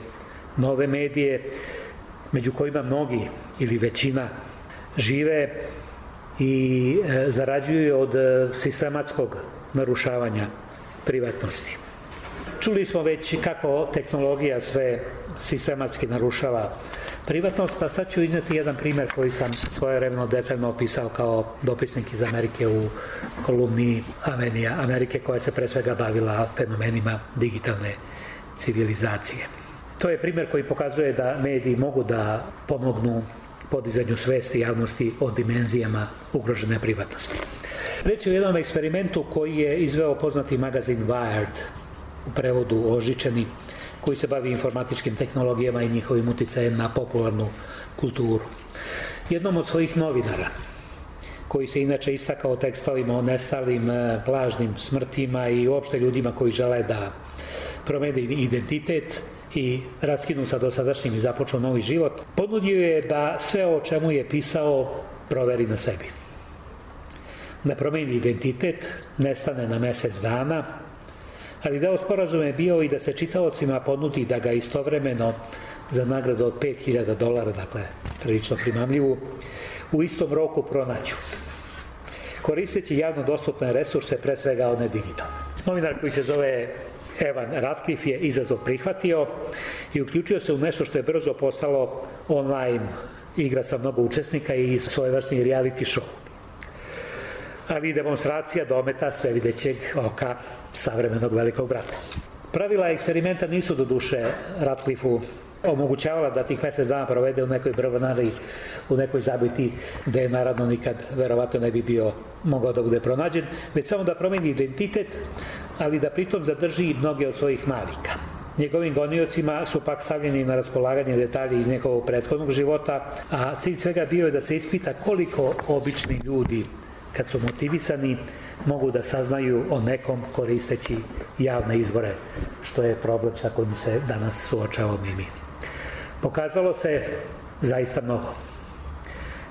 nove medije, među kojima mnogi ili većina žive i zarađuju od sistematskog narušavanja privatnosti. Čuli smo već kako tehnologija sve sistematski narušava privatnost, a sad ću izneti jedan primjer koji sam svojevremeno detaljno opisao kao dopisnik iz Amerike u kolumni Avenija Amerike, koja se pre svega bavila fenomenima digitalne civilizacije. To je primjer koji pokazuje da mediji mogu da pomognu podizanju svesti javnosti o dimenzijama ugrožene privatnosti. Reč je o jednom eksperimentu koji je izveo poznati magazin Wired, u prevodu Ožičani, koji se bavi informatičkim tehnologijama i njihovim uticajem na popularnu kulturu. Jednom od svojih novinara, koji se inače istakao tekstovima o nestalim, lažnim smrtima i uopšte ljudima koji žele da promene identitet i raskinu sa dosadašnjim i započnu novi život, ponudio je da sve o čemu je pisao proveri na sebi. Da promeni identitet, nestane na mesec dana, ali deo sporazuma je bio i da se čitaocima ponudi da ga istovremeno za nagradu od $5.000, dakle prilično primamljivu, u istom roku pronaću, koristeći javno dostupne resurse, pre svega one digitalne. Novinar koji se zove Evan Ratcliffe je izazov prihvatio i uključio se u nešto što je brzo postalo online igra sa mnogo učesnika i svojevrsni reality show. Ali i demonstracija dometa svevidećeg oka savremenog velikog brata. Pravila eksperimenta nisu do duše Ratcliffeu omogućavala da tih mesec dana provede u nekoj brvanari, u nekoj zabiti, gde naravno nikad verovatno ne bi bio mogao da bude pronađen, već samo da promeni identitet, ali da pritom zadrži mnoge od svojih navika. Njegovim goniocima su pak stavljeni na raspolaganje detalji iz njegovog prethodnog života, a cilj svega bio je da se ispita koliko obični ljudi, kad su motivisani, mogu da saznaju o nekom koristeći javne izvore, što je problem sa kojim se danas suočavamo i mi. Pokazalo se zaista mnogo.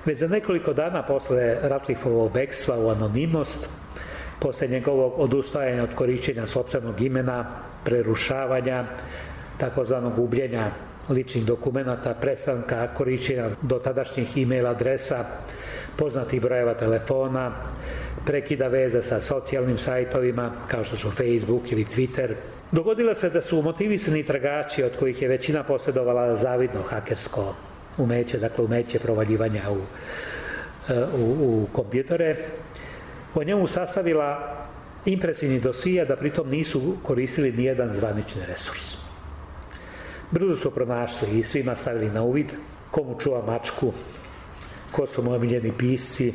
Već za nekoliko dana posle Ratcliffeovog bekstva u anonimnost, posle njegovog odustajanja od korišćenja sopstvenog imena, prerušavanja, takozvanog gubljenja ličnih dokumenata, prestanka korišćenja dotadašnjih e-mail adresa, poznatih brojeva telefona, prekida veza sa socijalnim sajtovima kao što su Facebook ili Twitter. Dogodilo se da su motivisani tragači, od kojih je većina posjedovala zavidno hakersko umeće, dakle umeće provaljivanja u kompjutere, o njemu sastavila impresivni dosije, da pritom nisu koristili nijedan zvanični resurs. Brzo su pronašli i svima stavili na uvid komu čuva mačku, ko su moji omiljeni pisci.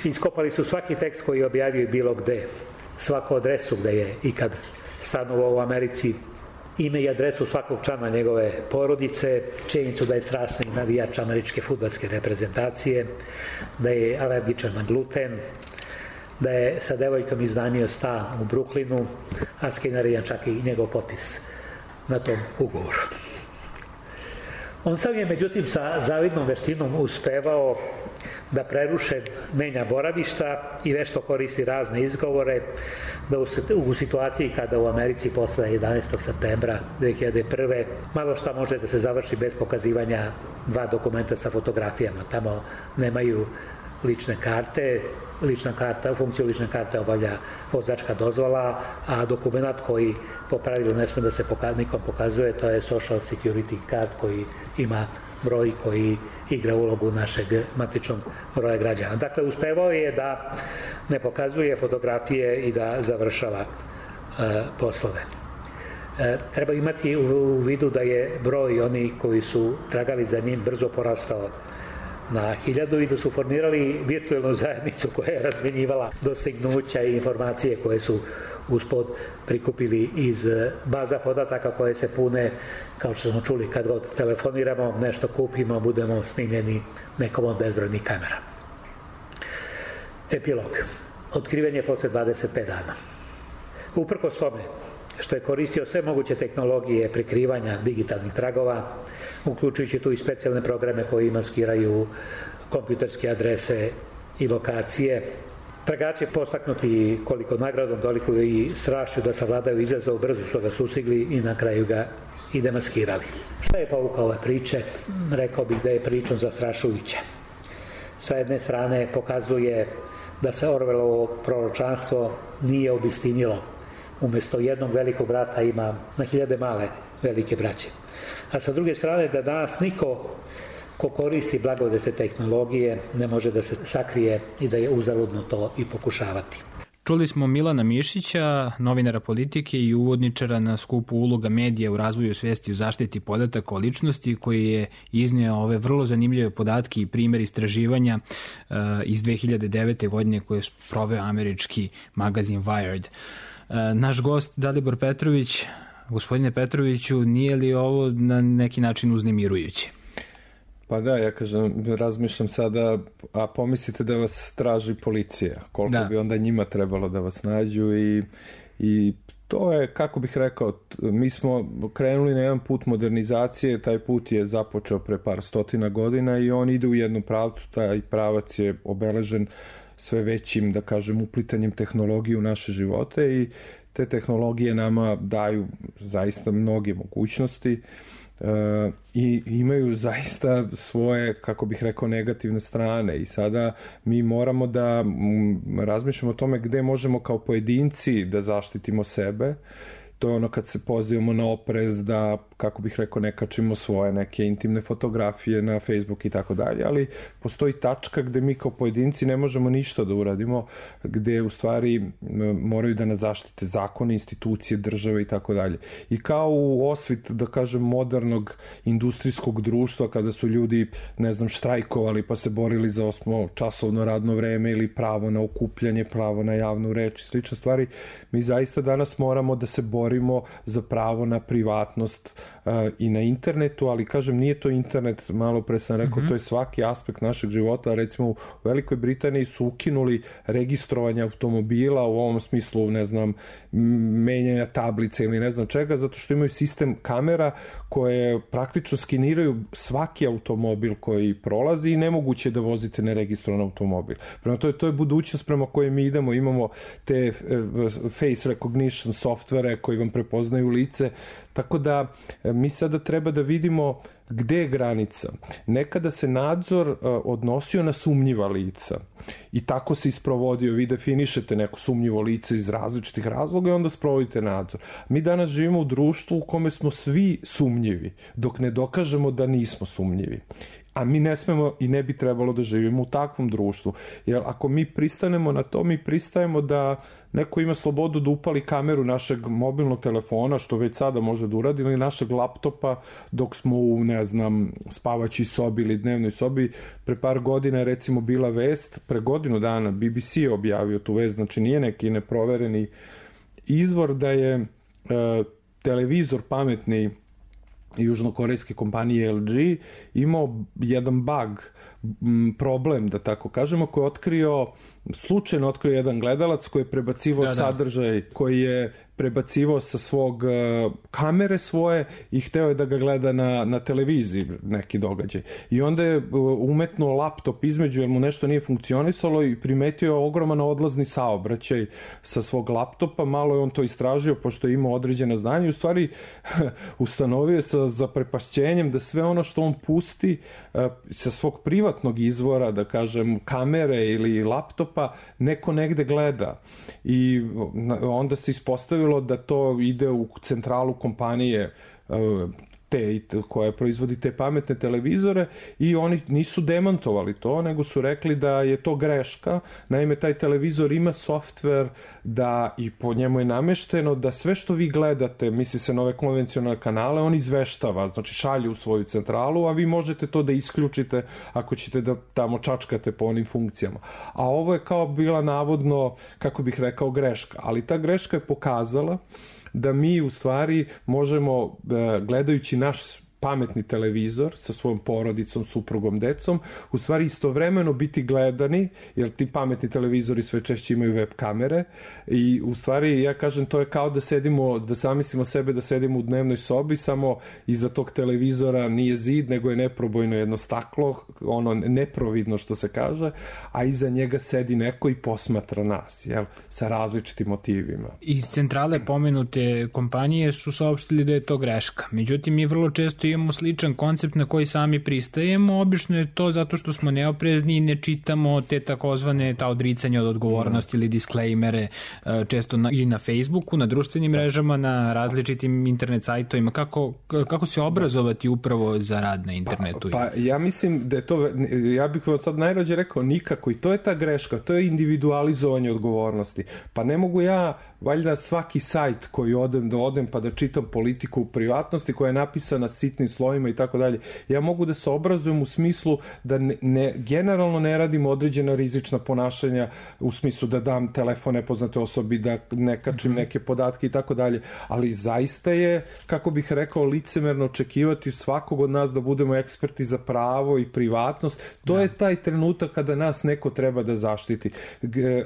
Iskopali su svaki tekst koji je objavio bilo gde, svaku adresu gde je ikad stanovao u Americi, ime i adresu svakog člana njegove porodice, činjenicu da je strašni navijač američke fudbalske reprezentacije, da je alergičan na gluten, da je sa devojkom iznajmio stan u Brooklynu, a skenarijan čak i njegov potpis na tom ugovoru. On sam je međutim sa zavidnom veštinom uspevao da preruše menja boravišta i vešto koristi razne izgovore, da u situaciji kada u Americi posle 11. septembra 2001. malo šta može da se završi bez pokazivanja dva dokumenta sa fotografijama. Tamo nemaju lične karte. Funkciju lične karte obavlja vozačka dozvola, a dokument koji po pravilu ne sme da se nikom pokazuje, to je Social Security card koji ima broj koji igra ulogu našeg matičnog broja građana. Dakle, uspevao je da ne pokazuje fotografije i da završava poslove. Treba imati u vidu da je broj onih koji su tragali za njim brzo porastao na 1000 i da su formirali virtualnu zajednicu koja je razmenjivala dostignuća i informacije koje su uspod prikupili iz baza podataka koje se pune, kao što smo čuli, kad god telefoniramo, nešto kupimo, budemo snimljeni nekom od bezbrojnih kamera. Epilog. Otkriven je posle 25 dana. Uprkos tome što je koristio sve moguće tehnologije prikrivanja digitalnih tragova, uključujući tu i specijalne programe koji maskiraju kompjuterske adrese i lokacije. Tragači postaknuti koliko nagradom, toliko i strašću da savladaju izazov, brzo što ga sustigli i na kraju ga i demaskirali. Šta je pouka ove priče? Rekao bih da je pričom zastrašujuća. Sa jedne strane pokazuje da se Orwellovo proročanstvo nije obistinilo. Umjesto jednog velikog brata ima na 1000 male velike braće. A sa druge strane da danas niko ko koristi blagodete tehnologije ne može da se sakrije i da je uzaludno to i pokušavati. Čuli smo Milana Mišića, novinara politike i uvodničara na skupu uloga medija u razvoju svesti u zaštiti podataka o ličnosti, koji je izneo ove vrlo zanimljive podatke i primer istraživanja iz 2009. godine koje je sproveo američki magazin Wired. Naš gost Dalibor Petrović, gospodine Petroviću, nije li ovo na neki način uznemirujuće? Pa da, ja kažem, razmišljam sada, a pomislite da vas traži policija, koliko bi onda njima trebalo da vas nađu i to je, kako bih rekao, mi smo krenuli na jedan put modernizacije, taj put je započeo pre par stotina godina i on ide u jednu pravcu, taj pravac je obeležen sve većim, da kažem, uplitanjem tehnologije u naše živote i te tehnologije nama daju zaista mnoge mogućnosti i imaju zaista svoje, kako bih rekao, negativne strane i sada mi moramo da razmišljamo o tome gde možemo kao pojedinci da zaštitimo sebe. To je ono kad se pozivamo na oprez da, kako bih rekao, ne kačimo svoje neke intimne fotografije na Facebook i tako dalje, ali postoji tačka gde mi kao pojedinci ne možemo ništa da uradimo, gde u stvari moraju da nas zaštite zakone, institucije, države i tako dalje. I kao u osvit, da kažem, modernog industrijskog društva, kada su ljudi, ne znam, štrajkovali pa se borili za 8-časovno radno vreme ili pravo na okupljanje, pravo na javnu reč i slične stvari, mi zaista danas moramo da se borimo za pravo na privatnost i na internetu, ali kažem, nije to internet, malo pre sam rekao, to je svaki aspekt našeg života. Recimo u Velikoj Britaniji su ukinuli registrovanje automobila u ovom smislu, ne znam, menjanja tablice ili ne znam čega, zato što imaju sistem kamera koje praktično skeniraju svaki automobil koji prolazi i nemoguće da vozite neregistrovan automobil. Prema to je budućnost prema kojoj mi idemo, imamo te face recognition softvere koji vam prepoznaju lice, tako da mi sada treba da vidimo gde je granica. Nekada se nadzor odnosio na sumnjiva lica i tako se isprovodio. Vi definišete neko sumnjivo lice iz različitih razloga i onda sprovodite nadzor. Mi danas živimo u društvu u kome smo svi sumnjivi, dok ne dokažemo da nismo sumnjivi. A mi ne smemo i ne bi trebalo da živimo u takvom društvu. Jer ako mi pristanemo na to, mi pristajemo da neko ima slobodu da upali kameru našeg mobilnog telefona, što već sada može da uradi, ili našeg laptopa dok smo u, ne znam, spavaćoj sobi ili dnevnoj sobi. Pre par godina je recimo bila vest, pre godinu dana BBC je objavio tu vest, znači nije neki neprovereni izvor, da je televizor pametni južnokorejske kompanije LG imao jedan bug, problem, da tako kažemo, koji je otkrio slučajno otkrio jedan gledalac koji je prebacivao sadržaj, koji je prebacivao sa svog kamere svoje i hteo je da ga gleda na televiziji neki događaj. I onda je umetnuo laptop između jer mu nešto nije funkcionisalo i primetio je ogroman odlazni saobraćaj sa svog laptopa. Malo je on to istražio pošto je imao određena znanja i u stvari ustanovio sa zaprepašćenjem da sve ono što on pusti sa svog privatnog izvora, da kažem kamere ili laptopa, neko negde gleda. I onda se ispostavilo da to ide u centralu kompanije koja proizvodi te pametne televizore i oni nisu demantovali to, nego su rekli da je to greška. Naime, taj televizor ima softver da i po njemu je namešteno da sve što vi gledate, misli se na ove konvencionalne kanale, on izveštava, znači šalje u svoju centralu, a vi možete to da isključite ako ćete da tamo čačkate po onim funkcijama. A ovo je kao bila navodno, kako bih rekao, greška. Ali ta greška je pokazala da mi u stvari možemo, gledajući naš pametni televizor sa svojom porodicom, suprugom, decom, u stvari istovremeno biti gledani, jer ti pametni televizori sve češće imaju web kamere i u stvari ja kažem to je kao da sedimo, da zamislimo sebe da sedimo u dnevnoj sobi, samo iza tog televizora nije zid, nego je neprobojno jedno staklo, ono neprovidno što se kaže, a iza njega sedi neko i posmatra nas, jel, sa različitim motivima. Iz centrale pomenute kompanije su saopštili da je to greška. Međutim, mi vrlo često imamo sličan koncept na koji sami pristajemo. Obično je to zato što smo neoprezni i ne čitamo te takozvane ta odricanja od odgovornosti ili disklejmere često i na Facebooku, na društvenim mrežama, na različitim internet sajtovima. Kako se obrazovati upravo za rad na internetu? Pa ja mislim da je to, ja bih vam sad najrađe rekao nikako i to je ta greška, to je individualizovanje odgovornosti. Pa ne mogu ja valjda svaki sajt koji odem pa da čitam politiku u privatnosti koja je napisana sitnim slojima i tako dalje. Ja mogu da se obrazujem u smislu da generalno ne radim određena rizična ponašanja u smislu da dam telefon nepoznate osobi, da ne kačim neke podatke i tako dalje, ali zaista je, kako bih rekao, licemerno očekivati svakog od nas da budemo eksperti za pravo i privatnost. To je taj trenutak kada nas neko treba da zaštiti.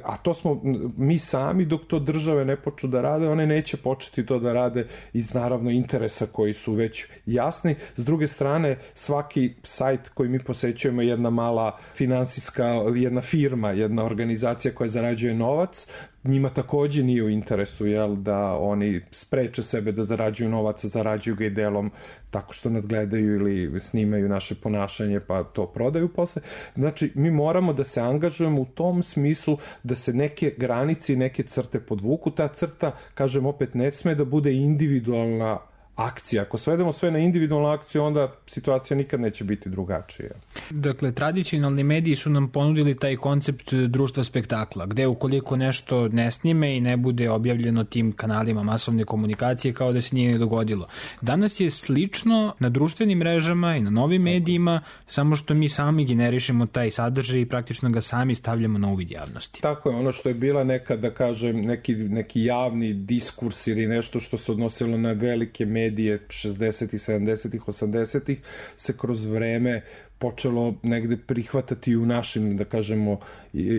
A to smo mi sami, dok to države ne počnu da rade, one neće početi to da rade iz naravno interesa koji su već jasni. S druge strane, svaki sajt koji mi posećujemo je jedna mala finansijska, jedna firma, jedna organizacija koja zarađuje novac. Njima takođe nije u interesu, jel, da oni spreče sebe da zarađuju novac, a zarađuju ga i delom tako što nadgledaju ili snimaju naše ponašanje pa to prodaju posle. Znači, mi moramo da se angažujemo u tom smislu da se neke granice i neke crte podvuku. Ta crta, kažem opet, ne sme da bude individualna akcija. Ako svedemo sve na individualnu akciju, onda situacija nikad neće biti drugačija. Dakle, tradicionalni mediji su nam ponudili taj koncept društva spektakla, gde ukoliko nešto ne snime i ne bude objavljeno tim kanalima masovne komunikacije, kao da se nije ni dogodilo. Danas je slično na društvenim mrežama i na novim medijima, samo što mi sami generišemo taj sadržaj i praktično ga sami stavljamo na uvid javnosti. Tako je, ono što je bila nekad, da kažem, neki javni diskurs ili nešto što se odnosilo na velike medije 60-ih, 70-ih, 80-ih se kroz vreme počelo negde prihvatati u našim, da kažemo,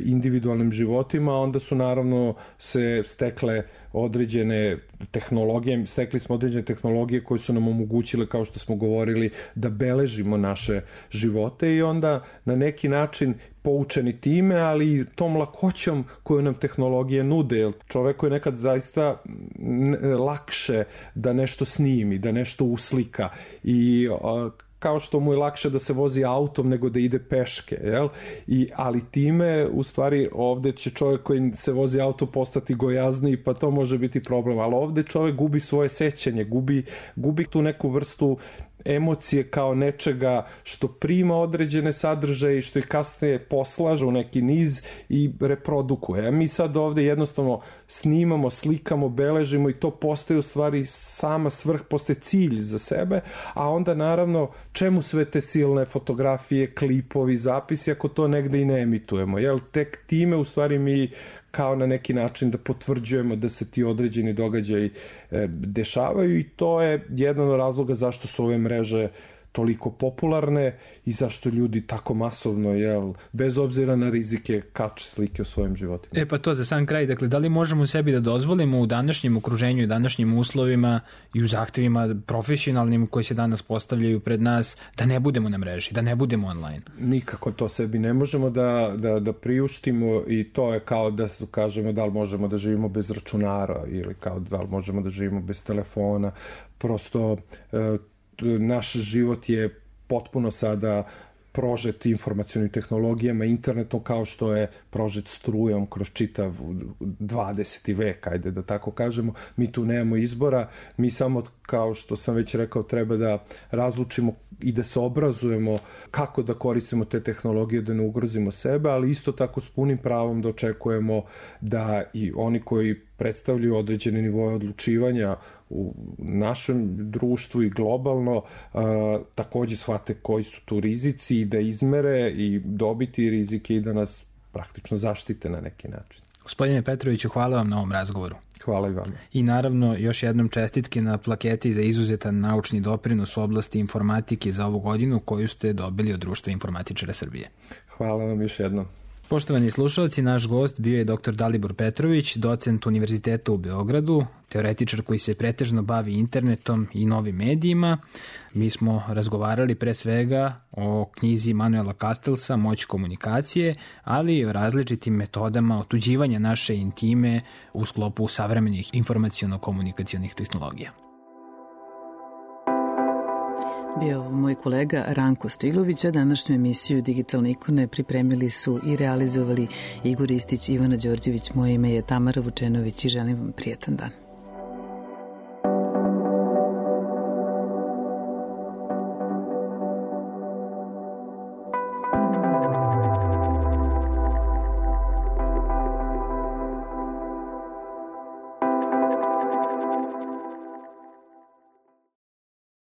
individualnim životima, onda su naravno se stekle određene tehnologije, stekli smo određene tehnologije koje su nam omogućile, kao što smo govorili, da beležimo naše živote i onda na neki način poučeni time, ali i tom lakoćom koju nam tehnologije nude, jer čoveku je nekad zaista lakše da nešto snimi, da nešto uslika i kao što mu je lakše da se vozi autom nego da ide peške, jel? Ali time, u stvari, ovde će čovjek koji se vozi auto postati gojazniji, pa to može biti problem, ali ovde čovjek gubi svoje sećanje, gubi tu neku vrstu emocije kao nečega što prima određene sadržaje i što ih kasnije poslaže u neki niz i reprodukuje. A mi sad ovde jednostavno snimamo, slikamo, beležimo i to postaje u stvari sama svrh, postaje cilj za sebe, a onda naravno čemu sve te silne fotografije, klipovi, zapisi ako to negde i ne emitujemo, jel? Tek time u stvari mi kao na neki način da potvrđujemo da se ti određeni događaji dešavaju i to je jedan od razloga zašto su ove mreže toliko popularne i zašto ljudi tako masovno, bez obzira na rizike, kače slike u svojim životima. Pa to za sam kraj, dakle, da li možemo sebi da dozvolimo u današnjem okruženju i današnjim uslovima i u zahtevima profesionalnim koji se danas postavljaju pred nas, da ne budemo na mreži, da ne budemo online? Nikako to sebi ne možemo da priuštimo i to je kao da kažemo da li možemo da živimo bez računara ili kao da li možemo da živimo bez telefona. Prosto naš život je potpuno sada prožet informacionim tehnologijama, internetom, kao što je prožet strujom kroz čitav 20. vek, ajde da tako kažemo. Mi tu nemamo izbora, mi samo, kao što sam već rekao, treba da razlučimo i da se obrazujemo kako da koristimo te tehnologije, da ne ugrozimo sebe, ali isto tako s punim pravom da očekujemo da i oni koji predstavljaju određene nivoje odlučivanja u našem društvu i globalno takođe shvate koji su tu rizici i da izmere i dobiti rizike i da nas praktično zaštite na neki način. Gospodine Petroviću, hvala vam na ovom razgovoru. Hvala i vama. I naravno još jednom čestitke na plaketi za izuzetan naučni doprinos u oblasti informatike za ovu godinu koju ste dobili od Društva informatičara Srbije. Hvala vam još jednom. Poštovani slušalci, naš gost bio je dr. Dalibor Petrović, docent Univerziteta u Beogradu, teoretičar koji se pretežno bavi internetom i novim medijima. Mi smo razgovarali pre svega o knjizi Manuela Castellsa Moć komunikacije, ali i o različitim metodama otuđivanja naše intime u sklopu savremenih informaciono-komunikacionih tehnologija. Bio moj kolega Ranko Stilović, a današnju emisiju Digitalne ikone pripremili su i realizovali Igor Ristić, Ivana Đorđević, moje ime je Tamara Vučenović i želim vam prijetan dan.